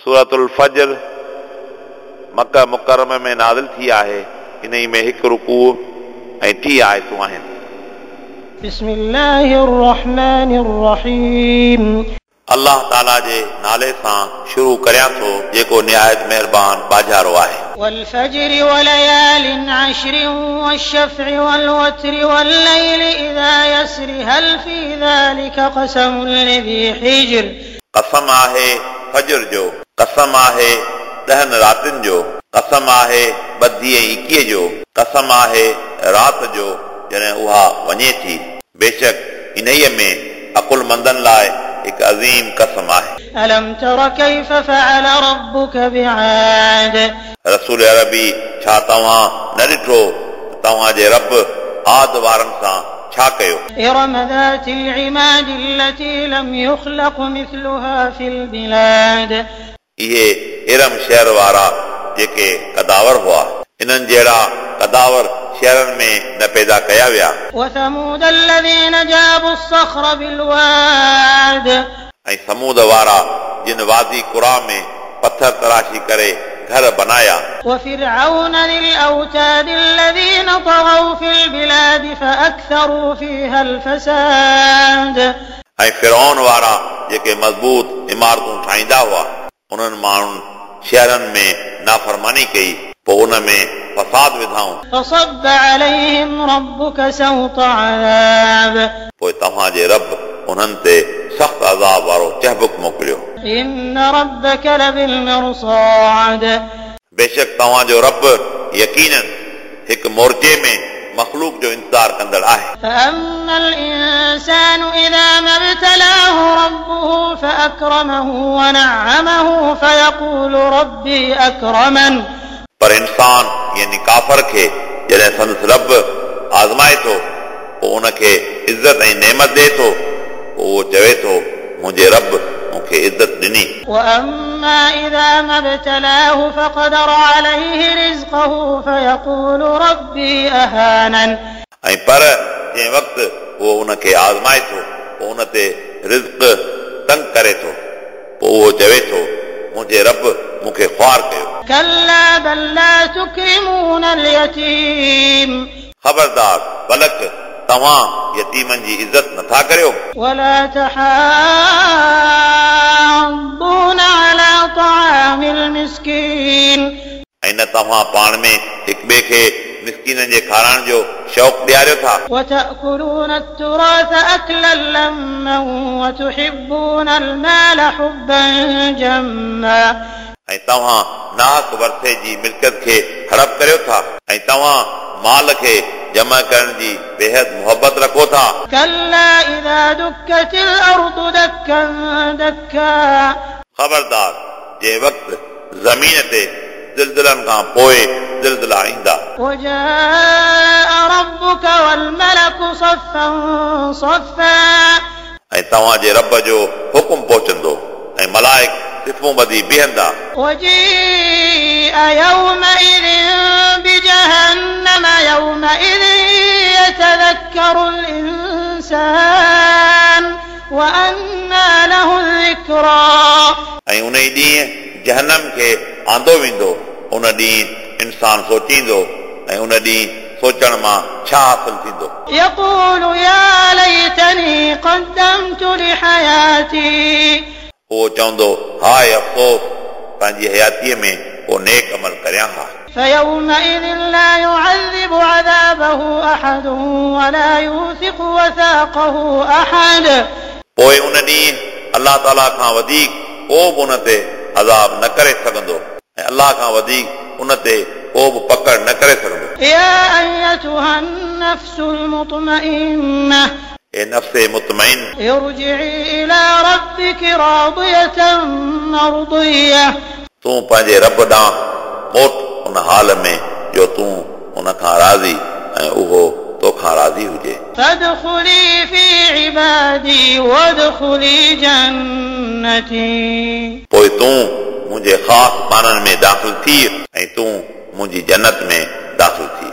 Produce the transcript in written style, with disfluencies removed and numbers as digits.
سورت الفجر مڪه مڪرمه ۾ نازل ٿي آهي. انهي ۾ هڪ رڪوع ۽ 30 آيتون آهن. بسم الله الرحمن الرحيم. الله تعاليٰ جي نالي سان شروع ڪريان ٿو جيڪو نهايت مهربان ٻاجهارو آهي. والفجر وليال عشر والشفع والوتر والليل إذا يسر هل في ذلك قسم لذي حجر. قسم آهي فجر جو، قسم آهي 10 راتن جو، قسم آهي 22 ۽ 21 جو، قسم آهي رات جو جڏهن اها وڃي ٿي. بيشڪ انهيء ۾ عقلمندن لاءِ هڪ عظيم قسم آهي. ألم تر كيف فعل ربك بعاد. رسول عربي ڇا توهان نه ڏٺو ته توهان جي رب عاد وارن سان ڇا ڪيو؟ إرم ذات العماد التي لم يخلق مثلها في البلاد. اهي ارم شهر وارا جيڪي قداور هئا، انهن جهڙا قداور شهرن ۾ نه پيدا ڪيا ويا. وثمود الذين جابوا الصخر بالواد. ۽ سمود وارا جن وادي قريٰ ۾ پٿر تراشي ڪري گهر بنايا. وفرعون ذي الأوتاد الذين طغوا في البلاد فأكثروا فيها الفساد. ۽ فرعون وارا جيڪي مضبوط عمارتون ٺاهيندا هئا، انهن ماڻهن شهرن ۾ نافرماني ڪئي، پوءِ ان ۾ فساد وڌائون. فصب عليهم ربك سوط عذاب. پوءِ توهان جي رب انهن تي سخت عذاب وارو چهبڪ موڪليو. إن ربك لبالمرصاد. بيشڪ توهان جو رب يقينن هڪ مورچي ۾ مخلوق جو انتظار ڪندڙ آهي. فأما الإنسان إذا ما ابتلاه ربه فأكرمه ونعمه فيقول ربي أكرمن. پر انسان يعني ڪافر کي جڏهن سندس رب آزمائي ٿو پوءِ ان کي عزت ۽ نعمت ڏئي ٿو، پوءِ اهو چوي ٿو منهنجي رب مون کي عزت ڏني. وأما إذا ما ابتلاه فقدر عليه رزقه فيقول ربي أهانن. ۽ پر جنهن وقت اهو ان کي آزمائي ٿو پوءِ ان تي رزق تنگ ڪري ٿو، پوءِ اهو چوي ٿو منهنجي رب مون کي خوار ڪيو. كلا بل لا تكرمون اليتيم. خبردار بلڪ توهان يتيمن جي عزت نٿا ڪريو. ولا تحاضون على طعام المسكين. ۽ نه توهان پاڻ ۾ هڪ ٻئي کي مسڪينن جي کارائڻ جو شوق ڏياريو ٿا. وتأكلون التراث أكلا لما وتحبون المال حبا جما. ۽ توهان ناحق ورثي جي ملڪيت کي هڙپ ڪريو ٿا ۽ توهان مال کي جمع ڪرڻ جي بيحد محبت رکو ٿا. كلا إذا دكت الأرض دكا دكا. خبردار جنهن وقت زمين تي زلزلن کان پوءِ زلزلا ايندا. وجاء ربك والملك صفا صفا. ۽ توهان جي رب جو حڪم پهچندو ۽ ملائڪ صفون ٻڌي بيهندا. وجيء يومئذ بجهنم يومئذ يتذكر الإنسان وأنى له الذكرى. ۽ ان ئي ڏينهن جهنم کي آندو ويندو، ان ڏينهن انسان سوچيندو ۽ ان ڏينهن سوچڻ مان ڇا حاصل ٿيندو. يقول يا ليتني قدمت لحياتي. اهو چوندو هاءِ افسوس، پنهنجي حياتيءَ ۾ ڪو نيڪ عمل ڪريان ها. فيومئذ لا يعذب عذابه أحد ولا يوثق وثاقه أحد. پوءِ ان ڏينهن الله تعاليٰ کان وڌيڪ ڪو به ان تي عذاب نه ڪري سگهندو ۽ الله کان وڌيڪ ان تي ڪو به پڪڙ نه ڪري سگهندو. يا أيتها النفس المطمئنة. اي نفس مطمئن، ارجعي إلى ربك راضية مرضية. تون پنهنجي رب ڏانهن موٽ ان حال ۾ جو تون ان کان راضي ۽ اهو توکان راضي هجي. فادخلي في عبادي وادخلي جنتي. پوءِ تون منهنجي خاص ٻانهن ۾ داخل ٿي ۽ تون منهنجي جنت ۾ داخل ٿي.